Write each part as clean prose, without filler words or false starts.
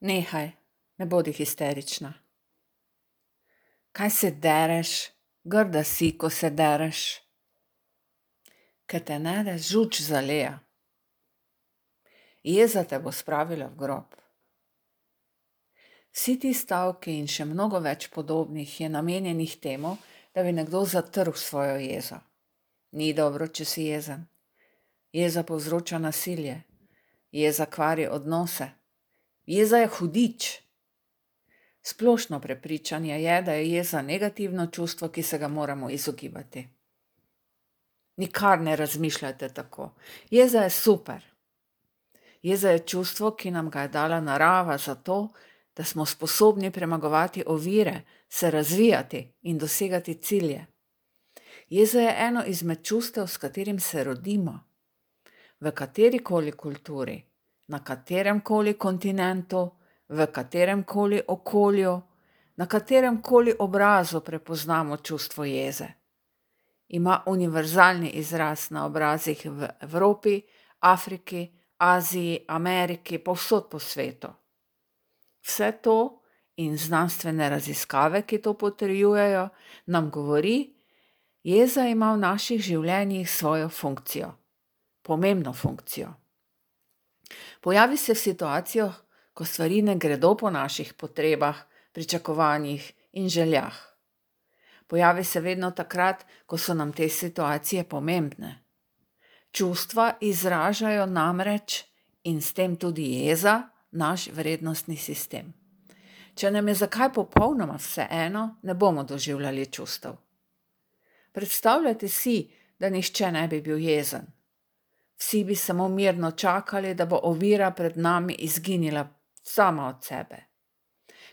Nehaj, ne bodi histerična. Kaj se dereš? Grda si, ko se dereš. Ke te nede žuč zaleja. Jeza te bo spravila v grob. Vsi ti stavki in še mnogo več podobnih je namenjenih temu, da bi nekdo zatrl svojo jezo. Ni dobro, če si jezen. Jeza povzroča nasilje. Jeza kvari odnose. Jeza je hudič. Splošno prepričanje je, da je jeza negativno čustvo, ki se ga moramo izogibati. Nikar ne razmišljajte tako. Jeza je super. Jeza je čustvo, ki nam ga je dala narava zato, da smo sposobni premagovati ovire, se razvijati in dosegati cilje. Jeza je eno izmed čustev, s katerim se rodimo. V katerikoli kulturi, na kateremkoli kontinentu, v kateremkoli okolju, na kateremkoli obrazu prepoznamo čustvo jeze. Ima univerzalni izraz na obrazih v Evropi, Afriki, Aziji, Ameriki, povsod po svetu. Vse to in znanstvene raziskave, ki to potrjujejo, nam govori, jeza ima v naših življenjih svojo funkcijo, pomembno funkcijo. Pojavi se v situacijah, ko stvari ne gredo po naših potrebah, pričakovanjih in željah. Pojavi se vedno takrat, ko so nam te situacije pomembne. Čustva izražajo namreč in s tem tudi jeza naš vrednostni sistem. Če nam je zakaj popolnoma vseeno, ne bomo doživljali čustev. Predstavljajte si, da nihče ne bi bil jezen. Vsi bi samo mirno čakali, da bo ovira pred nami izginila sama od sebe.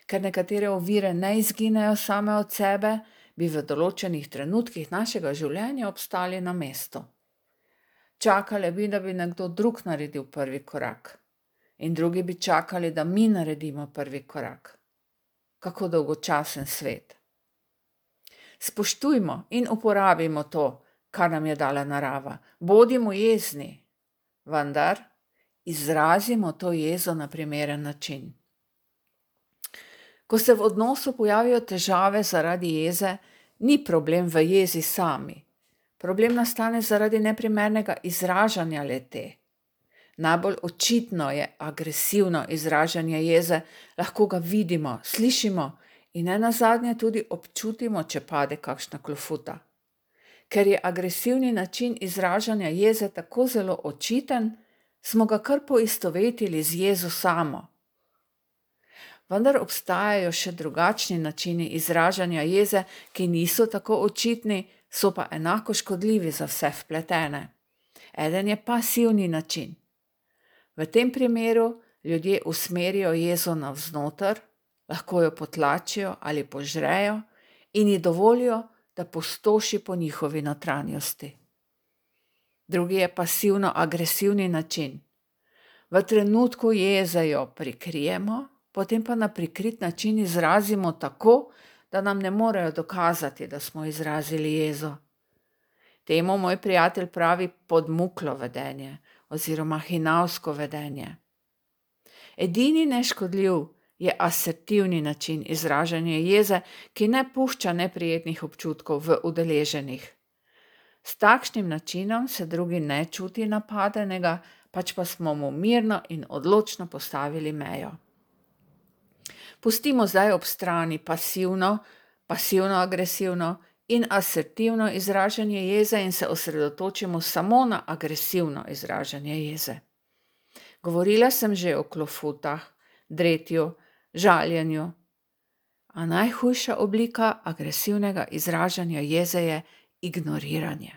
Ker nekatere ovire ne izginejo same od sebe, bi v določenih trenutkih našega življenja obstali na mestu. Čakali bi, da bi nekdo drug naredil prvi korak. In drugi bi čakali, da mi naredimo prvi korak. Kako dolgočasen svet. Spoštujmo in uporabimo to, kar nam je dala narava. Bodimo jezni, vendar izrazimo to jezo na primeren način. Ko se v odnosu pojavijo težave zaradi jeze, ni problem v jezi sami. Problem nastane zaradi neprimernega izražanja le-te. Najbolj očitno je agresivno izražanje jeze, lahko ga vidimo, slišimo in nenazadnje tudi občutimo, če pade kakšna klofuta. Ker je agresivni način izražanja jeze tako zelo očiten, smo ga kar poistovetili z jezo samo. Vendar obstajajo še drugačni načini izražanja jeze, ki niso tako očitni, so pa enako škodljivi za vse vpletene. Eden je pasivni način. V tem primeru ljudje usmerijo jezo navznoter, lahko jo potlačijo ali požrejo in ji dovolijo, da pustoši po njihovi notranjosti. Drugi je pasivno-agresivni način. V trenutku jeze jo prikrijemo, potem pa na prikrit način izrazimo tako, da nam ne morejo dokazati, da smo izrazili jezo. Temu moj prijatelj pravi podmuklo vedenje oziroma hinavsko vedenje. Edini neškodljiv je asertivni način izražanja jeze, ki ne pušča neprijetnih občutkov v udeleženih. S takšnim načinom se drugi ne čuti napadenega, pač pa smo mu mirno in odločno postavili mejo. Pustimo zdaj ob strani pasivno-agresivno in asertivno izražanje jeze in se osredotočimo samo na agresivno izražanje jeze. Govorila sem že o klofutah, dretju, žaljenju, a najhujša oblika agresivnega izražanja jeze je ignoriranje.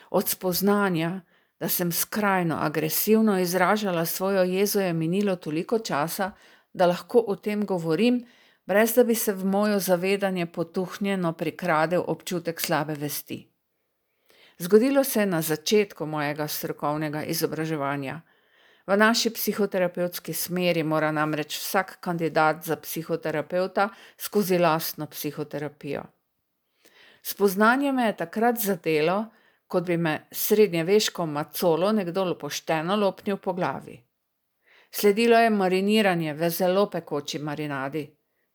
Od spoznanja, da sem skrajno agresivno izražala svojo jezo, je minilo toliko časa, da lahko o tem govorim, brez da bi se v mojo zavedanje potuhnjeno prikradel občutek slabe vesti. Zgodilo se je na začetku mojega strokovnega izobraževanja. V naši psihoterapevtski smeri mora namreč vsak kandidat za psihoterapevta skozi lastno psihoterapijo. Spoznanje me je takrat zadelo, kot bi me srednjeveško macolo nekdo pošteno lopnil po glavi. Sledilo je mariniranje v zelo pekoči marinadi,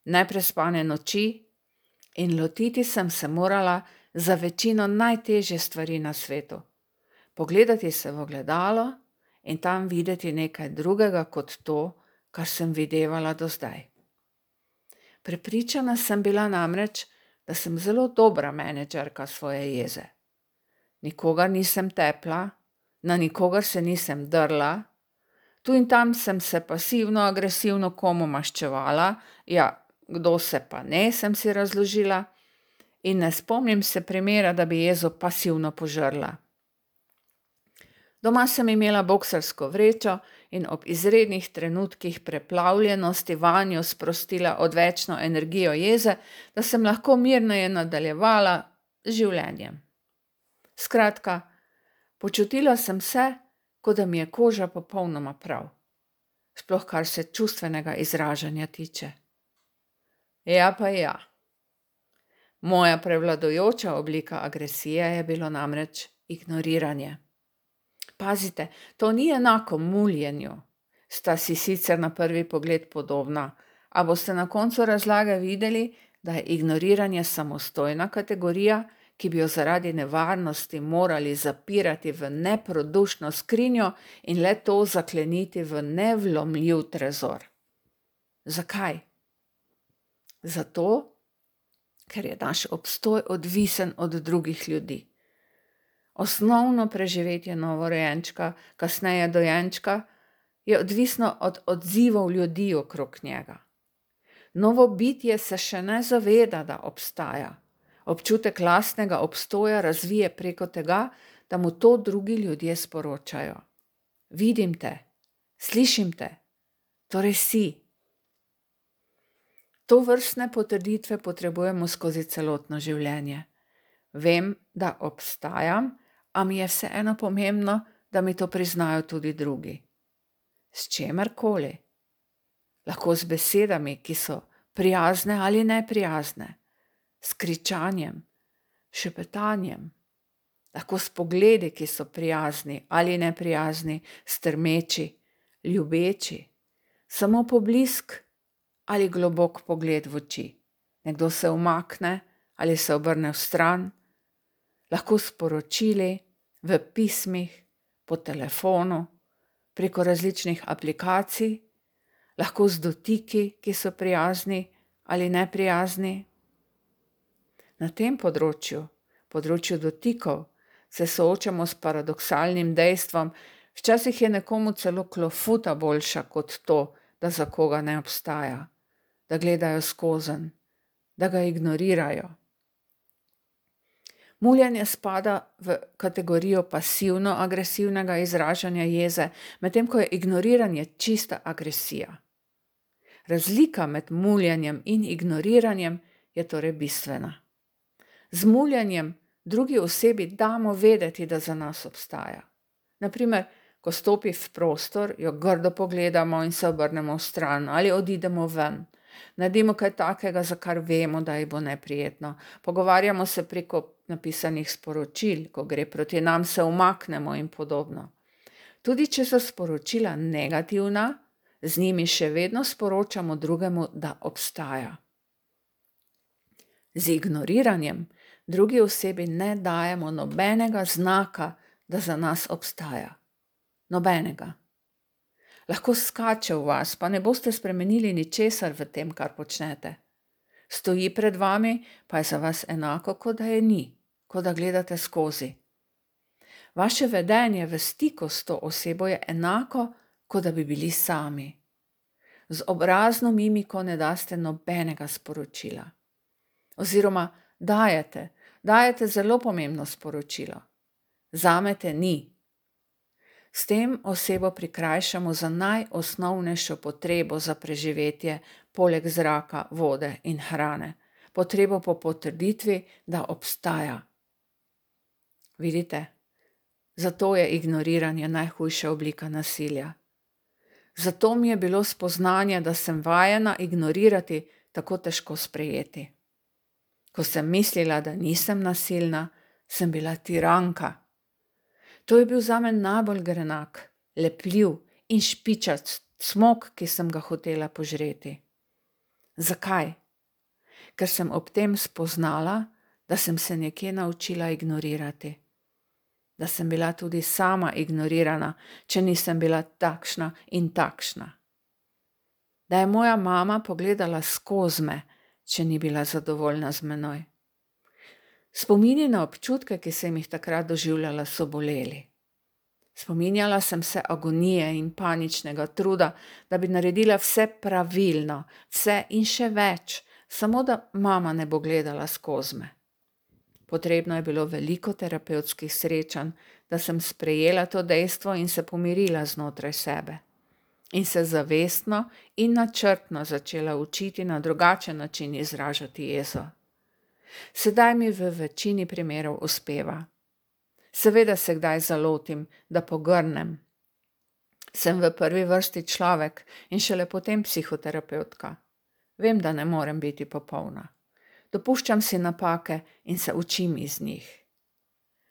neprespane noči in lotiti sem se morala za večino najtežje stvari na svetu. Pogledati se v ogledalo in tam videti nekaj drugega kot to, kar sem videvala do zdaj. Prepričana sem bila namreč, da sem zelo dobra menedžerka svoje jeze. Nikogar nisem tepla, na nikogar se nisem drla, tu in tam sem se pasivno-agresivno komu maščevala, ja, kdo se pa ne, sem si razložila, in ne spomnim se primera, da bi jezo pasivno požrla. Doma sem imela boksarsko vrečo in ob izrednih trenutkih preplavljenosti vanjo sprostila odvečno energijo jeze, da sem lahko mirneje nadaljevala z življenjem. Skratka, počutila sem se, kot da mi je koža popolnoma prav, sploh kar se čustvenega izražanja tiče. Ja pa ja. Moja prevladujoča oblika agresije je bilo namreč ignoriranje. Pazite, to ni enako muljenju, sta si sicer na prvi pogled podobna, a boste na koncu razlage videli, da je ignoriranje samostojna kategorija, ki bi jo zaradi nevarnosti morali zapirati v neprodušno skrinjo in le to zakleniti v nevlomljiv trezor. Zakaj? Zato, ker je naš obstoj odvisen od drugih ljudi. Osnovno preživetje novorojenčka, kasneje dojenčka, je odvisno od odzivov ljudi okrog njega. Novo bitje se še ne zaveda, da obstaja. Občutek lastnega obstoja razvije preko tega, da mu to drugi ljudje sporočajo. Vidim te, slišim te, torej si. Tovrstne potrditve potrebujemo skozi celotno življenje. Vem, da obstajam, a mi je vseeno pomembno, da mi to priznajo tudi drugi. S čemerkoli. Lahko z besedami, ki so prijazne ali neprijazne, s kričanjem, šepetanjem, lahko s pogledi, ki so prijazni ali neprijazni, strmeči, ljubeči, samo poblisk ali globok pogled v oči. Nekdo se umakne ali se obrne vstran, lahko sporočili, v pismih, po telefonu, preko različnih aplikacij, lahko z dotiki, ki so prijazni ali neprijazni. Na tem področju dotikov, se soočamo s paradoksalnim dejstvom, včasih je nekomu celo klofuta boljša kot to, da za koga ne obstaja, da gledajo skozenj, da ga ignorirajo. Muljenje spada v kategorijo pasivno-agresivnega izražanja jeze, medtem ko je ignoriranje čista agresija. Razlika med muljenjem in ignoriranjem je torej bistvena. Z muljenjem drugi osebi damo vedeti, da za nas obstaja. Naprimer, ko stopi v prostor, jo grdo pogledamo in se obrnemo vstran ali odidemo ven. Naredimo kaj takega, za kar vemo, da ji bo neprijetno. Pogovarjamo se preko napisanih sporočil, ko gre proti nam, se umaknemo in podobno. Tudi če so sporočila negativna, z njimi še vedno sporočamo drugemu, da obstaja. Z ignoriranjem drugi osebi ne dajemo nobenega znaka, da za nas obstaja. Nobenega. Lahko skače v vas, pa ne boste spremenili ničesar v tem, kar počnete. Stoji pred vami, pa je za vas enako, kot da je ni, kot da gledate skozi. Vaše vedenje v stiku s to osebo je enako, kot da bi bili sami. Z obrazno mimiko ne daste nobenega sporočila. Oziroma dajete zelo pomembno sporočilo. Zame te ni. S tem osebo prikrajšamo za najosnovnejšo potrebo za preživetje, poleg zraka, vode in hrane. Potrebo po potrditvi, da obstaja. Vidite? Zato je ignoriranje najhujša oblika nasilja. Zato mi je bilo spoznanje, da sem vajena ignorirati, tako težko sprejeti. Ko sem mislila, da nisem nasilna, sem bila tiranka. To je bil zame najbolj grenak, lepljiv in špičast smok, ki sem ga hotela požreti. Zakaj? Ker sem ob tem spoznala, da sem se nekje naučila ignorirati. Da sem bila tudi sama ignorirana, če nisem bila takšna in takšna. Da je moja mama pogledala skozi me, če ni bila zadovoljna z menoj. Spomini na občutke, ki sem jih takrat doživljala, so boleli. Spominjala sem se agonije in paničnega truda, da bi naredila vse pravilno, vse in še več, samo da mama ne bo gledala skozi me. Potrebno je bilo veliko terapevtskih srečanj, da sem sprejela to dejstvo in se pomirila znotraj sebe. In se zavestno in načrtno začela učiti na drugačen način izražati jezo. Sedaj mi v večini primerov uspeva. Seveda se kdaj zalotim, da pogrnem. Sem v prvi vrsti človek in šele potem psihoterapevtka. Vem, da ne morem biti popolna. Dopuščam si napake in se učim iz njih.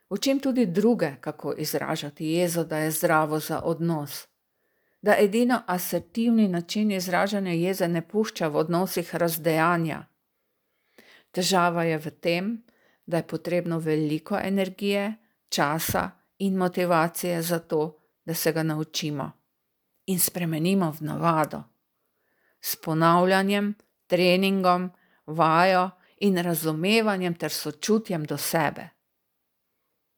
Učim tudi druge, kako izražati jezo, da je zdravo za odnos. Da edino asertivni način izražanja jeze ne pušča v odnosih razdejanja. Težava je v tem, da je potrebno veliko energije, časa in motivacije za to, da se ga naučimo in spremenimo v navado. S ponavljanjem, treningom, vajo in razumevanjem ter sočutjem do sebe.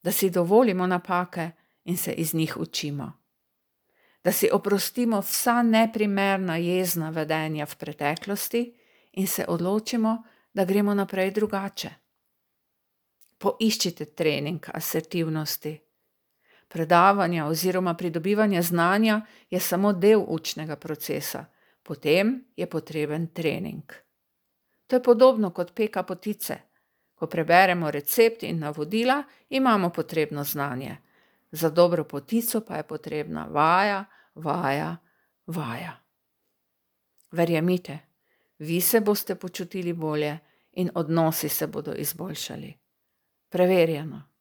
Da si dovolimo napake in se iz njih učimo. Da si oprostimo vsa neprimerna jezna vedenja v preteklosti in se odločimo, da gremo naprej drugače. Poiščite trening asertivnosti. Predavanja oziroma pridobivanje znanja je samo del učnega procesa, potem je potreben trening. To je podobno kot peka potice. Ko preberemo recept in navodila, imamo potrebno znanje. Za dobro potico pa je potrebna vaja, vaja, vaja. Verjemite, vi se boste počutili bolje in odnosi se bodo izboljšali. Preverjeno.